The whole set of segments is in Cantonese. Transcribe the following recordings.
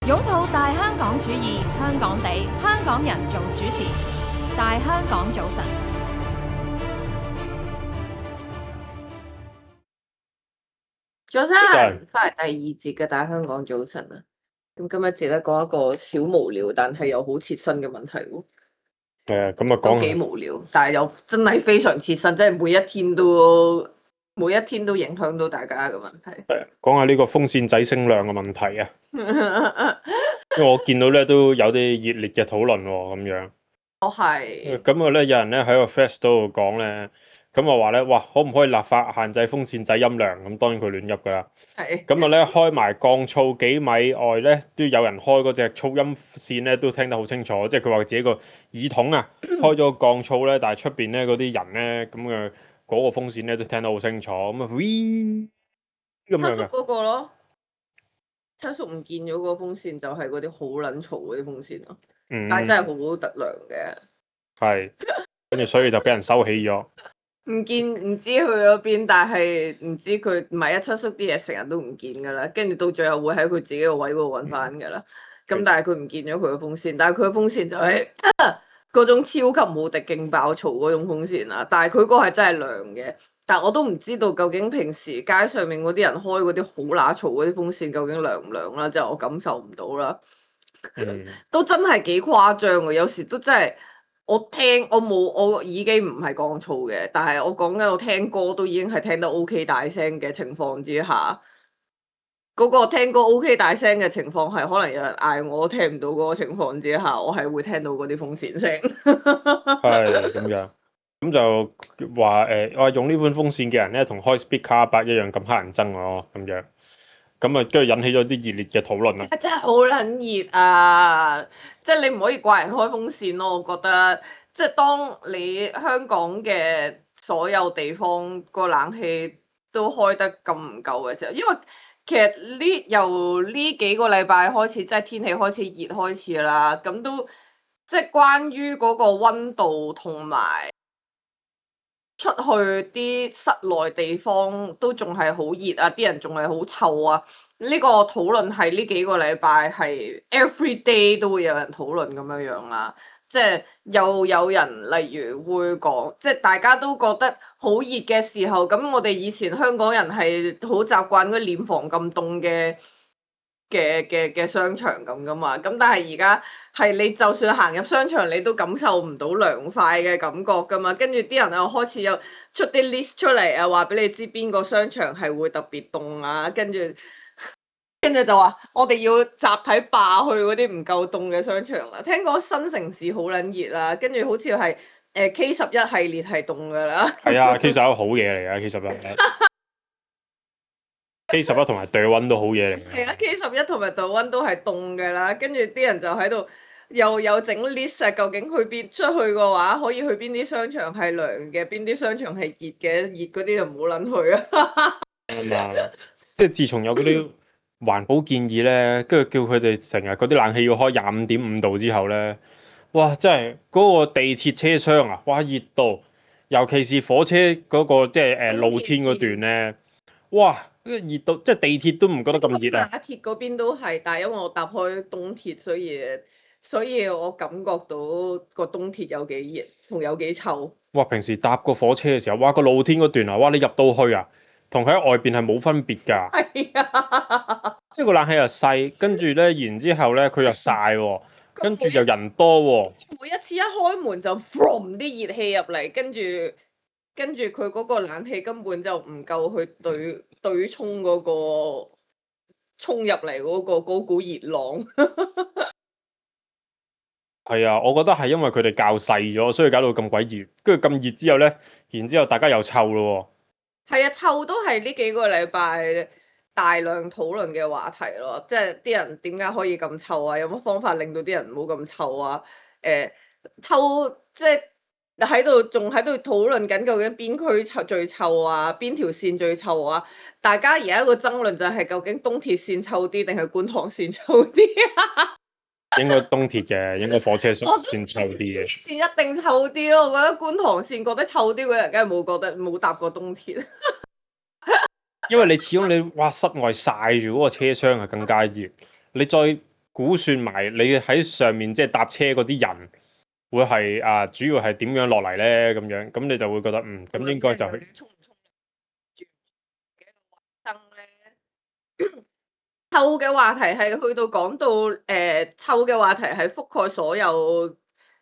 擁抱大香港主義，香港地，香港人做主持。大香港早晨，早晨，翻嚟第二節嘅大香港早晨啊！咁今日節咧講一個小無聊，但係又好切身嘅問題喎。咁啊都幾無聊，但係又真係非常切身，即係每一天都影響到大家嘅問題。講下呢個風扇仔聲量嘅問題啊！因為我見到咧都有啲熱烈嘅討論喎，咁樣。係。咁啊咧，有人咧喺個 Flash 度講咧，咁啊話咧，哇，可唔可以立法限制風扇仔音量？咁當然佢亂噏噶啦。係。咁啊咧，開埋降噪幾米外咧，都有人開嗰隻噪音線咧，都聽得好清楚。即係佢話自己個耳筒啊，開咗降噪咧，但係出邊咧嗰啲人咧，咁嘅嗰個風扇咧都聽得好清楚。咁啊，咁樣七叔嗰個咯，七叔唔見咗個風扇，就係嗰啲好撚嘈嗰啲風扇咯。但係真係好特良嘅。係，跟住所以就俾人收起咗。唔見唔知去咗邊，但係唔知佢唔係七叔啲嘢成日都唔見噶啦，跟住到最後會喺佢自己個位嗰度揾翻噶啦。咁但係佢唔見咗佢個風扇，但係佢個風扇就係嗰種超級無敵勁爆嘈嗰種風扇啦。但係佢嗰個係真係涼嘅，但係我都唔知道究竟平時街上面嗰啲人開嗰啲好乸嘈嗰啲風扇究竟涼唔涼啦，即係我感受唔到啦。都真係幾誇張嘅，有時都真係。我耳機唔係降噪嘅，但係我講緊我聽歌都已經係聽得 OK 大聲嘅情況之下，嗰個聽歌 OK 大聲嘅情況係可能有人嗌我聽唔到嗰個情況之下，我係會聽到嗰啲風扇聲。係咁樣，咁就話我用呢款風扇嘅人咧，同開 Speaker 8一樣咁乞人憎咯，咁樣，咁啊跟住引起咗啲熱烈嘅討論啦。真係好撚熱啊！即係你唔可以怪人開風扇咯，我覺得。即係當你香港嘅所有地方個冷氣都開得咁唔夠嘅時候，因為其實由呢幾個禮拜開始，即係天氣開始熱開始啦，咁都即係關於嗰個溫度同埋出去啲室內地方都仲係好熱啊，啲人仲係好臭啊。呢個討論係呢幾個禮拜係 every day 都會有人討論咁樣樣啦。即係又有人例如會講，即係大家都覺得好熱嘅時候，咁我哋以前香港人係好習慣嗰啲殮房咁凍嘅商場咁噶嘛。咁但係而家係你就算行入商場，你都感受唔到涼快嘅感覺噶嘛。跟住啲人又開始有出啲 list 出嚟啊，話俾你知邊個商場係會特別凍啊，跟住就話我哋要集體霸去嗰啲唔夠凍嘅商場啦。聽講新城市好撚熱啦，跟住好似係K11系列係凍噶啦。係啊，K11好嘢嚟㗎，K11 同埋對溫都好嘢嚟嘅。係啊，K11同埋對溫都係凍噶啦，跟住啲人就喺度又有整 list 啊，究竟去邊出去嘅話，可以去邊啲商場係涼嘅，邊啲商場係熱嘅，熱嗰啲就唔好撚去啊。即係自從有嗰啲環保建議咧，跟住叫佢哋成日嗰啲冷氣要開25.5度之後咧，哇！真係嗰個地鐵車廂啊，哇熱到，尤其是火車嗰個即係露天嗰段咧，哇！熱到即係地鐵都唔覺得咁熱啊！馬鐵嗰邊都係，但係因為我搭開東鐵，所以我感覺到個東鐵有幾熱同有幾臭。哇！平時搭個火車嘅時候，哇個露天嗰段啊，哇你入到去啊，同喺外邊係冇分別㗎。係啊，即係個冷氣又細，跟住咧，然之後咧佢又曬喎，跟住又人多喎。每一次一開門就 from 啲熱氣入嚟，跟住佢嗰個冷氣根本就唔夠去對沖嗰個衝入嚟嗰股熱浪。係啊，我覺得係因為佢哋較細咗，所以搞到咁鬼熱。跟住咁熱之後咧，然之後大家又臭咯喎。係啊，臭都係呢幾個禮拜大量討論嘅話題咯。即係啲人點解可以咁臭啊？有乜方法令到啲人唔好咁臭啊？臭即係仲喺度討論緊究竟邊區最臭啊？邊條線最臭啊？大家而家個爭論就係究竟東鐵線臭啲定係觀塘線臭啲啊？應該東鐵嘅，應該火車線臭啲嘅。線一定臭啲咯，我覺得觀塘線覺得臭啲嗰人，梗係冇搭過東鐵。因為你始終你哇室外曬住嗰個車廂係更加熱，你再估算埋你喺上面即係搭車嗰啲人會係主要係點樣落嚟咧？咁樣咁你就會覺得咁應該就去。沖唔沖住嘅衛生咧？臭嘅話題係去到講到臭嘅話題係覆蓋所有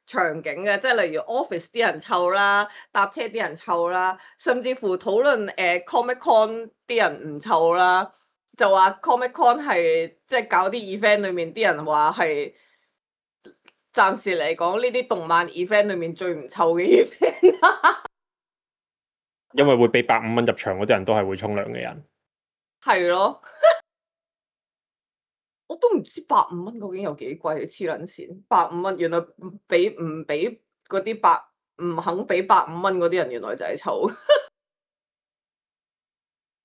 場景嘅，即係例如 office 啲人臭啦，搭車啲人臭啦，甚至乎討論Comic Con 啲人唔臭啦，就話 Comic Con 係即係搞啲 event 裏面啲人話係暫時嚟講呢啲動漫 event 裏面最唔臭嘅 event。因為會俾150蚊入場嗰啲人都係會沖涼嘅人。係咯。我都唔知150蚊究竟有幾貴，黐撚線！150蚊原來唔俾嗰啲唔肯俾150蚊嗰啲人，原來就係臭。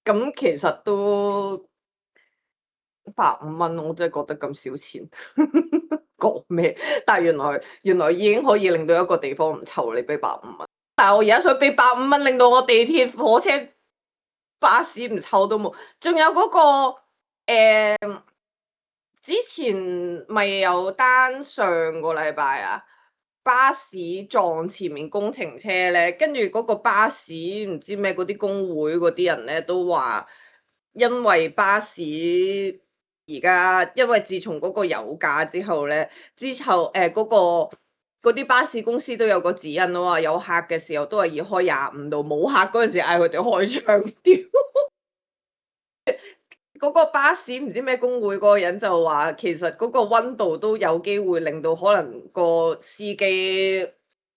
咁其實都150蚊，我真係覺得咁少錢，講咩？但係原來已經可以令到一個地方唔臭，你俾150蚊。但係我而家想俾150蚊，令到我地鐵、火車、巴士唔臭都冇。仲有嗰個之前咪有單上個禮拜啊，巴士撞前面工程車咧，跟住嗰個巴士唔知咩嗰啲工會嗰啲人咧都話，因為巴士而家因為自從嗰個油價之後咧，嗰啲巴士公司都有個指引咯，話有客嘅時候都係要開25度，冇客嗰陣時嗌佢哋開窗調。嗰個巴士唔知咩工會嗰個人就話，其實嗰個溫度都有機會令到可能個司機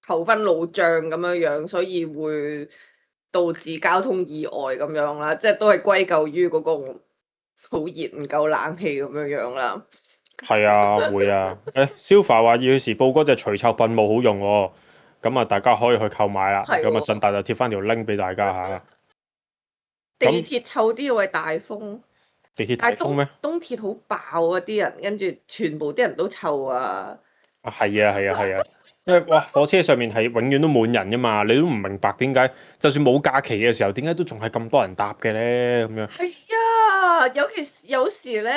頭昏腦脹咁樣樣，所以會導致交通意外咁樣啦。即係都係歸咎於嗰個好熱唔夠冷氣咁樣樣啦。係啊，會啊。Silva 話要時報嗰隻除臭噴霧好用喎，咁啊大家可以去購買啦。咁啊振大就貼翻條 link 俾大家嚇。地鐵臭啲會大風。地鐵大風咩？東鐵好爆啊！啲人跟住全部啲人都臭啊！係啊，因為哇火車上面係永遠都滿人噶嘛，你都唔明白點解就算冇假期嘅時候，點解都仲係咁多人搭嘅咧？咁樣係啊，有時咧，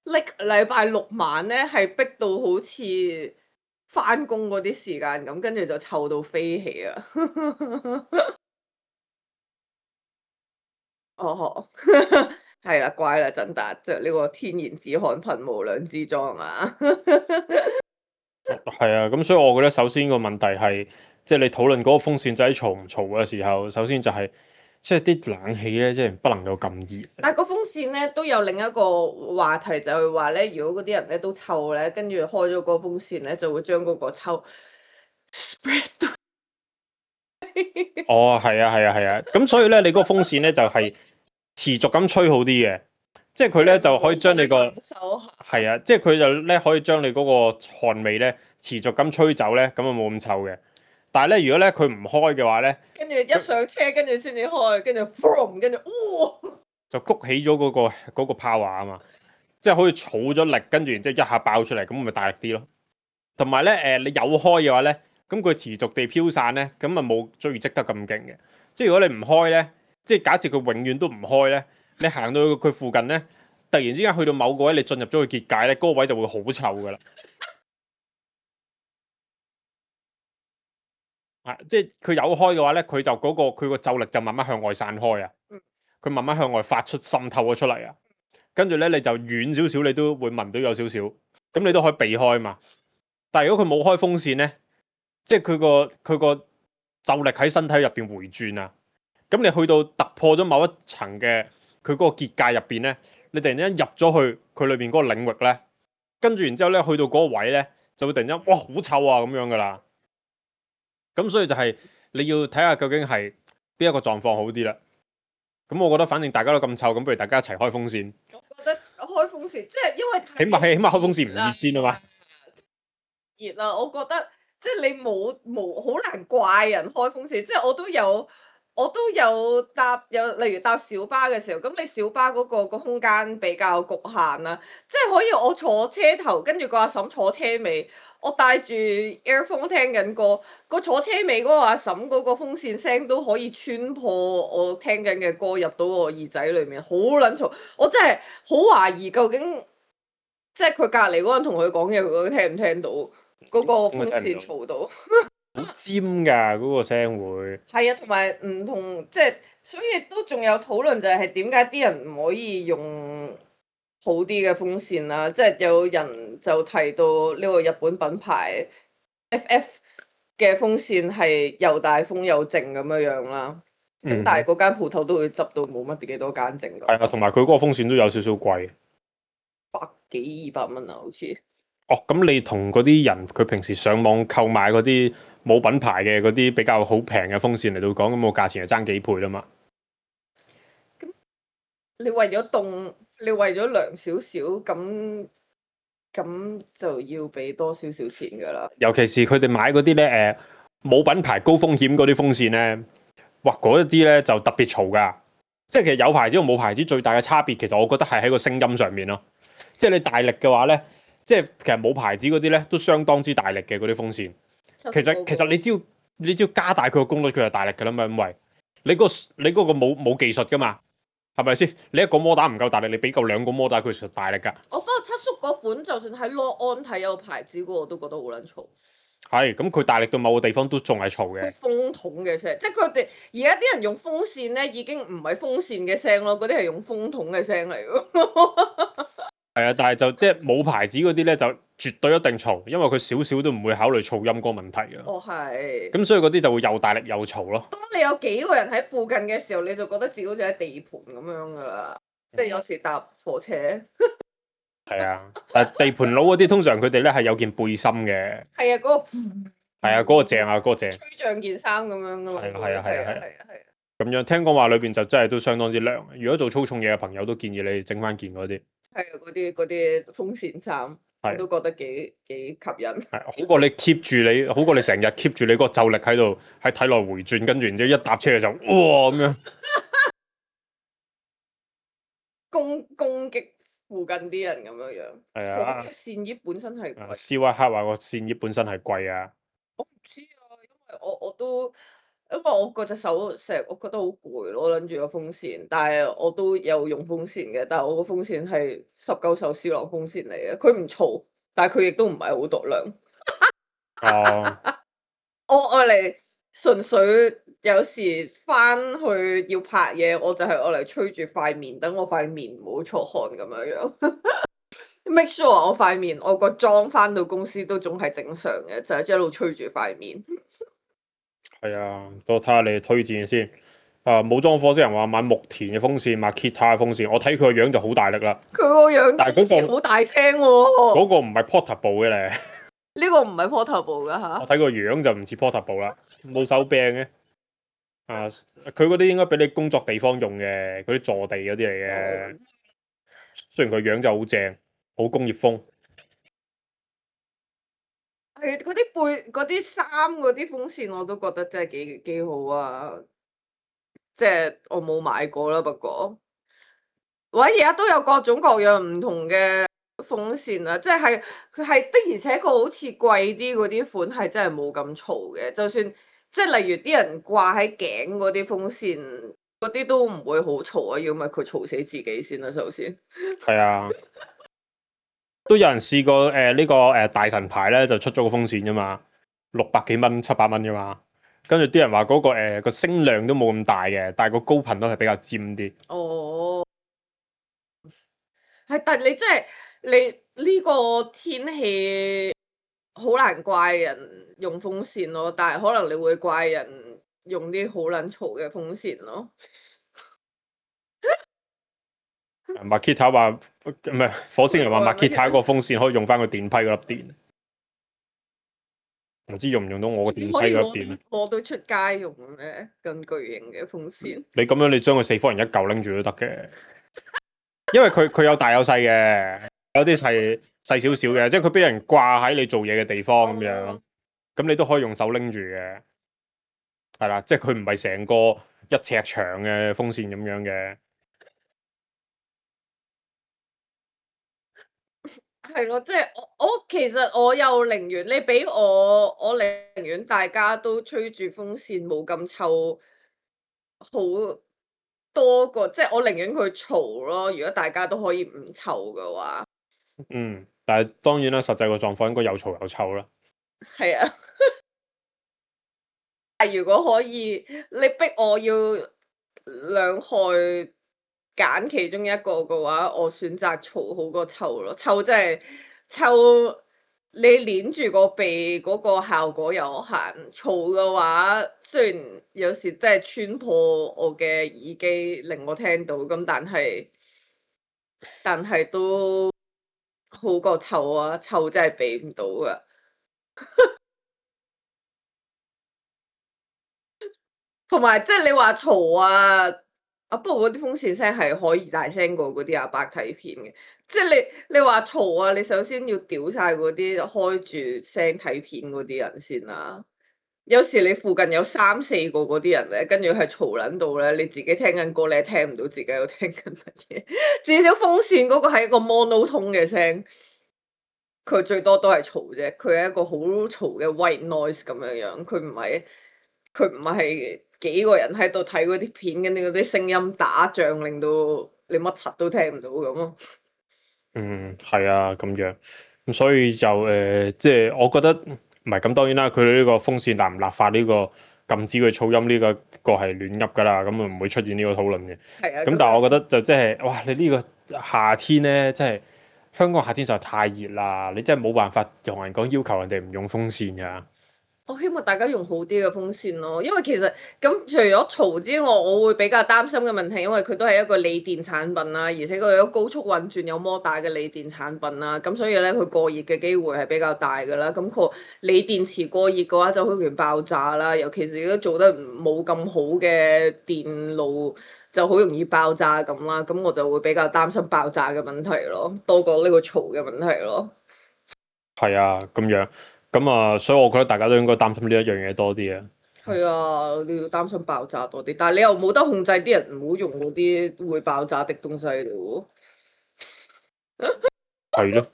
禮拜六晚咧係逼到好似翻工嗰啲時間咁，跟住就臭到飛起啊！哦。係啦，怪啦，振達着呢個天然止汗噴霧兩支裝啊！係啊，咁所以我覺得首先個問題係，即係你討論嗰個風扇仔嘈唔嘈嘅時候，首先就係即係啲冷氣咧，即係不能夠咁熱。但係個風扇咧都有另一個話題，就係話咧，如果嗰啲人咧都臭咧，跟住開咗個風扇咧，就會將嗰個臭 spread 到。哦，係啊，咁所以咧，你嗰個風扇咧就係持續咁吹好啲嘅，即係佢咧就可以將你個係啊，即係佢就咧可以將你嗰個汗味咧持續咁吹走咧，咁啊冇咁臭嘅。但係咧，如果咧佢唔開嘅話咧，跟住一上車，跟住先至開，跟住 boom，跟住哇，就谷起咗嗰個 power 啊嘛，即係可以儲咗力，跟住然之後一下爆出嚟，咁咪大力啲咯。同埋咧你有開嘅話咧，咁佢持續地飄散咧，咁啊冇追積得咁勁嘅。即係如果你唔開咧，即係假設佢永遠都唔開咧，你行到佢附近咧，突然之間去到某個位，你進入咗個結界咧，嗰個位就會好臭噶啦。即係佢有開嘅話咧，佢就佢個咒力就慢慢向外散開啊。佢慢慢向外發出滲透咗出嚟啊。跟住咧，你就遠少少，你都會聞到有少少，咁你都可以避開嘛。但係如果佢冇開風扇咧，即係佢個咒力喺身體入邊回轉啊。咁你去到突破咗某一層嘅佢嗰個結界入邊咧，你突然間入咗去佢裏邊嗰個領域咧，跟住然之後咧去到嗰個位咧，就會突然間哇好臭啊咁樣噶啦。咁所以就係你要睇下究竟係邊一個狀況好啲啦。咁我覺得反正大家都咁臭，咁不如大家一齊開風扇。我覺得開風扇即係因為起碼開風扇唔熱先啊嘛。熱啦，我覺得即係你冇好難怪人開風扇，即係我都有例如搭小巴嘅時候，咁你小巴嗰個空間比較局限啦，即係可以我坐車頭，跟住個阿嬸坐車尾，我戴住 earphone 聽緊歌，個坐車尾嗰個阿嬸嗰個風扇聲都可以穿破我聽緊嘅歌入到我耳仔裏面，好撚嘈，我真係好懷疑究竟即係佢隔離嗰個人同佢講嘢，佢究竟聽唔聽到嗰個風扇嘈到？好尖㗎嗰個聲會。係啊，同埋唔同即係，所以都仲有討論就係點解啲人唔可以用好啲嘅風扇啦？即係有人就提到呢個日本品牌 FF 嘅風扇係又大風又靜咁樣啦。咁但係嗰間鋪頭都會執到冇乜幾多間剩㗎。係啊，同埋佢嗰個風扇都有少少貴，百幾200蚊啊，好似。哦，咁你同嗰啲人佢平時上網購買嗰啲冇品牌嘅嗰啲比較好平嘅風扇嚟到講，咁個價錢係爭幾倍啦嘛。咁你為咗凍，你為咗涼少少，咁就要俾多少少錢㗎啦。尤其是佢哋買嗰啲咧冇品牌高風險嗰啲風扇咧，哇嗰一啲咧就特別嘈㗎。即係其實有牌子同冇牌子最大嘅差別，其實我覺得係喺個聲音上面咯。即係你大力嘅話咧，即係其實冇牌子嗰啲咧都相當之大力嘅嗰啲風扇。其實你只要加大佢個功率，佢就大力㗎啦嘛。因為你嗰個冇技術㗎嘛，係咪先？你一個摩打唔夠大力，你俾夠2個摩打佢實大力㗎。我不過七叔嗰款，就算喺樂安睇有牌子嗰個，我都覺得好撚嘈。係，咁佢大力到某個地方都仲係嘈嘅。風筒嘅聲，即係佢哋而家啲人用風扇咧，已經唔係風扇嘅聲咯，嗰啲係用風筒嘅聲嚟㗎。係啊，但係就即係冇牌子嗰啲咧，就絕對一定嘈，因為佢少少都唔會考慮噪音嗰個問題嘅。哦，係。咁所以嗰啲就會又大力又嘈咯。當你有幾個人喺附近嘅時候，你就覺得自己好似喺地盤咁樣㗎啦。即係有時搭火車。係啊，但係地盤佬嗰啲通常佢哋咧係有件背心嘅。係啊，嗰個。係啊，嗰個正啊，嗰個正。吹脹件衫咁樣㗎嘛。係啊。咁樣聽講話裏邊就真係都相當之涼。如果做粗重嘢嘅朋友，都建議你整翻件嗰啲。係啊，嗰啲風扇衫，我都覺得幾吸引。係好過你 keep 住你，好過你成日 keep 住你嗰個咒力喺度，喺體內回轉，跟住然之後一搭車就哇咁樣。攻擊附近啲人咁樣樣。係啊。扇葉本身係貴。斯威克話個扇葉本身係貴啊。我唔知啊，因為我嗰隻手成日我覺得好攰咯，拎住個風扇，但係我都有用風扇嘅，但係我個風扇係19手思朗風扇嚟嘅，佢唔嘈，但係佢亦都唔係好度量。哦。我愛嚟純粹有時翻去要拍嘢，我就係愛嚟吹住塊面，等我塊面唔好出汗咁樣樣。make sure 我塊面，我個妝翻到公司都總係正常嘅，就係一路吹住塊面。係啊，我睇下你推薦先。冇裝火星人話買木田嘅風扇，買 Kita 嘅風扇，我睇佢個樣就好大力啦。佢個樣，但係嗰個好大聲喎。嗰個唔係 portable 嘅咧。呢個唔係 portable 㗎嚇。我睇個樣就唔似 portable 啦，冇手柄嘅。佢嗰啲應該俾你工作地方用嘅，嗰啲坐地嗰啲嚟嘅。雖然佢樣就好正，好工業風。係嗰啲衫嗰啲風扇我都覺得真係幾好啊！即係我冇買過啦，不過，而家都有各種各樣唔同嘅風扇啊！即係佢係的而且確好似貴啲嗰啲款係真係冇咁嘈嘅，就算即係例如啲人掛喺頸嗰啲風扇嗰啲都唔會好嘈啊！要咪佢嘈死自己先啦，首先。係啊。都有人試過呢個大神牌咧，就出咗個風扇啫嘛，600幾蚊、700蚊啫嘛。跟住啲人話嗰個個聲量都冇咁大嘅，但係個高頻都係比較尖啲。哦，係，但係你真係你呢個天氣好難怪人用風扇咯，但係可能你會怪人用啲好撚嘈嘅風扇咯。Makita 話唔係火星人話 Makita 個風扇可以用翻個電批嗰粒電，唔知用唔用到我個電批嗰粒電？攞到出街用咩？咁巨型嘅風扇。你咁樣你將佢4方人一嚿拎住都得嘅，因為佢有大有細嘅，有啲細少少嘅，即係佢俾人掛喺你做嘢嘅地方咁樣，咁你都可以用手拎住嘅，係啦，即係佢唔係成個1尺長嘅風扇咁樣嘅。係咯，即係我其實我又寧願你俾我寧願大家都吹住風扇冇咁臭，好多個，即係我寧願佢嘈咯。如果大家都可以唔臭嘅話，但係當然啦，實際個狀況應該有嘈有臭啦。係啊，但如果可以，你逼我要兩害揀其中一個嘅話，我選擇嘈好過臭咯。臭真係臭，你捏住個鼻嗰個效果有限。嘈嘅話，雖然有時真係穿破我嘅耳機，令我聽到咁，但係都好過臭啊！臭真係避唔到噶。同埋即係你話嘈不過嗰啲風扇聲係可以大聲過嗰啲阿伯睇片嘅。即係你話嘈你首先要屌晒嗰啲開住聲睇片嗰啲人先啦。有時你附近有3、4個嗰啲人咧，跟住係嘈撚到咧，你自己聽緊歌，你係聽唔到自己喺度聽緊乜嘢。至少風扇嗰個係一個 monotone 嘅聲，佢最多都係嘈啫。佢係一個好嘈嘅 white noise 咁樣樣，佢唔係幾個人喺度睇嗰啲片，跟住嗰啲聲音打仗，令到你乜柒都聽唔到咁咯。係啊，咁樣咁所以就即係我覺得唔係咁，當然啦，佢哋呢個風扇立唔立法呢個禁止佢噪音呢個係亂噏噶啦，咁啊唔會出現呢個討論嘅。係啊。咁但係我覺得就即係哇，你呢個夏天咧，真係香港夏天實在太熱啦，你真係冇辦法同人講要求人哋唔用風扇噶。我希望大家用好啲嘅風扇咯，因為其實咁除咗嘈之外，我會比較擔心嘅問題，因為佢都係一個鋰電產品啦，而且佢有高速運轉有摩打嘅鋰電產品啦，咁所以咧佢過熱嘅機會係比較大噶啦。咁個鋰電池過熱嘅話就好容易爆炸啦，尤其是如果做得冇咁好嘅電路就好容易爆炸咁啦。咁我就會比較擔心爆炸嘅問題咯，多過呢個嘈嘅問題咯。係啊，咁樣。咁啊，所以我覺得大家都應該擔心呢一樣嘢多啲啊。係啊，你要擔心爆炸多啲，但係你又冇得控制啲人唔好用嗰啲會爆炸的東西咯。係咯，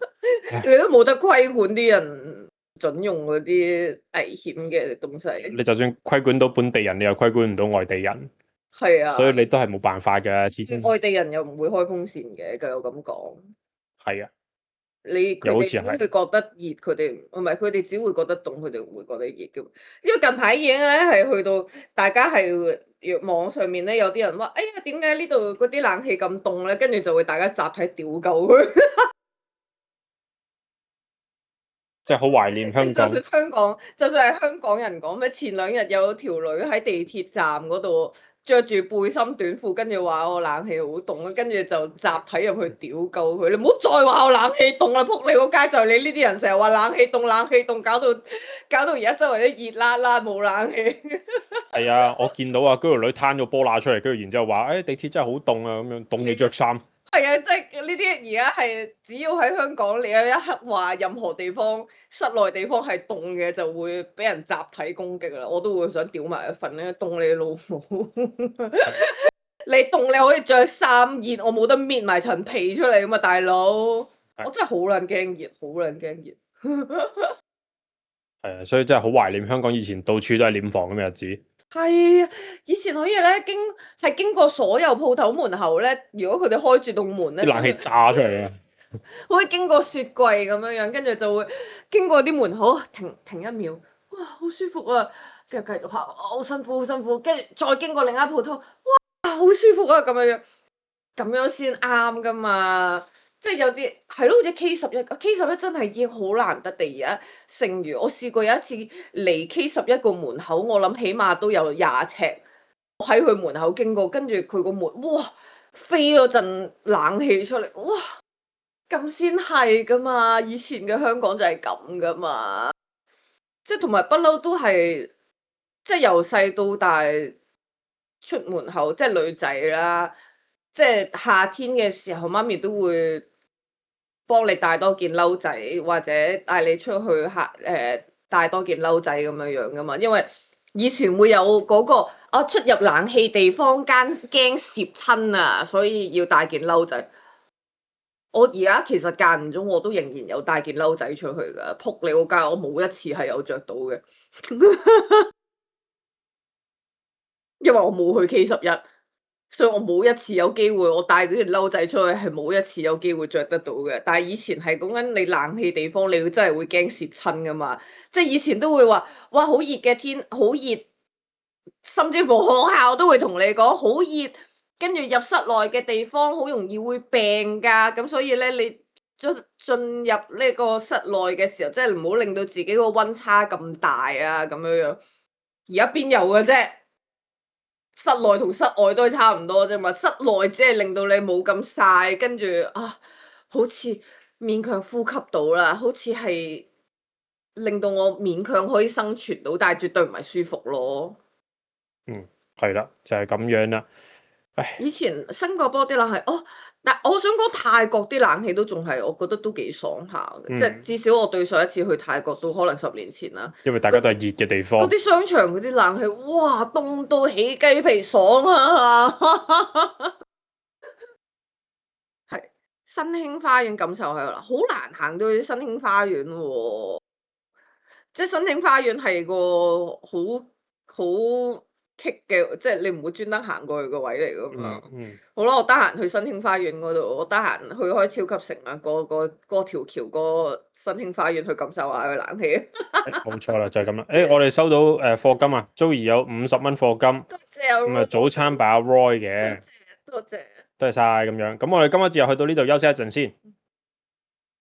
你都冇得規管啲人準用嗰啲危險嘅東西。你就算規管到本地人，你又規管唔到外地人。係啊，所以你都係冇辦法嘅，始終。外地人又唔會開風扇嘅，據我咁講。係啊。佢哋只會覺得熱，佢哋唔係佢哋只會覺得凍，佢哋唔會覺得熱嘅。因為近排已經咧係去到大家係網上面咧有啲人話：哎呀，點解呢度嗰啲冷氣咁凍咧？跟住就會大家集體屌鳩佢。即係好懷念香港。就算係香港人講咩？前2日有條女喺地鐵站嗰度着住背心短褲，跟住話我冷氣好凍啊，跟住就集體入去屌鳩佢。你唔好再話我冷氣凍啦！仆你個街就係你呢啲人成日話冷氣凍，冷氣凍，搞到而家周圍都熱辣辣冇冷氣。係啊，我見到啊，嗰條女攤咗波乸出嚟，跟住然之後話：地鐵真係好凍啊！咁樣凍你着衫。係啊，即係呢啲而家係只要喺香港，你有一刻話任何地方室內地方係凍嘅，就會俾人集體攻擊啦。我都會想屌埋一份咧，凍你老母！你凍你可以着衫熱，我冇得搣埋層皮出嚟㗎嘛，大佬！我真係好撚驚熱，好撚驚熱。係啊，所以真係好懷念香港以前到處都係殮房咁嘅日子。係啊，以前可以咧經過所有鋪頭門口咧，如果佢哋開住棟門咧，啲冷氣炸出嚟啊！可以經過雪櫃咁樣樣，跟住就會經過啲門口停1秒，哇，好舒服啊！跟住繼續行，好辛苦好辛苦，跟住再經過另一間鋪頭，哇，好舒服啊！咁樣先啱噶嘛。即係有啲係咯，好似 K11 真係已經好難得地而家剩餘。我試過有一次離 K11個門口，我諗起碼都有20尺，我喺佢門口經過，跟住佢個門，哇，飛咗陣冷氣出嚟，哇，咁先係噶嘛！以前嘅香港就係咁噶嘛，即係同埋不嬲都係，即係由細到大出門口，即係女仔啦，即係夏天嘅時候，媽咪都會幫你帶多件褸仔，或者帶你出去帶多件褸仔咁樣樣噶嘛。因為以前會有嗰個出入冷氣地方間驚攝親啊，所以要帶件褸仔。我而家其實間唔中我都仍然有帶件褸仔出去噶，仆你個街，我冇一次係有着到嘅，因為我冇去 K11。所以我冇一次有機會，我帶嗰條褸仔出去係冇一次有機會着得到嘅。但係以前係講緊你冷氣地方，你要真係會驚攝親噶嘛。即係以前都會話，哇好熱嘅天，好熱，甚至乎學校都會同你講好熱，跟住入室內嘅地方好容易會病㗎。咁所以咧，你進入呢個室內嘅時候，即係唔好令到自己個溫差咁大啊，咁樣樣。而家邊有嘅啫？室內同室外都係差唔多啫嘛，室內只係令到你冇咁曬，跟住好似勉強呼吸到啦，好似係令到我勉強可以生存到，但係絕對唔係舒服咯。係啦，就係咁樣啦。唉，以前新加坡啲冷氣，但我想講泰國啲冷氣都仲係，我覺得都幾爽下嘅，即係至少我對上一次去泰國都可能10年前啦。因為大家都係熱嘅地方嗰。啲商場嗰啲冷氣，哇，凍到起雞皮爽啊！係新興花園感受係啦，好難行到去新興花園喎。即係新興花園係個好棘嘅，即係你唔會專登行過去個位嚟噶嘛。好啦，我得閒去新興花園嗰度，我得閒去開超級城啊，過條橋過新興花園去感受下個冷氣。冇錯啦，就係咁啦。我哋收到課金啊，Joey 有50蚊課金，多謝啊咁啊早餐把 Roy 嘅，多謝。多謝晒咁樣。咁我哋今日就去到呢度休息一陣先。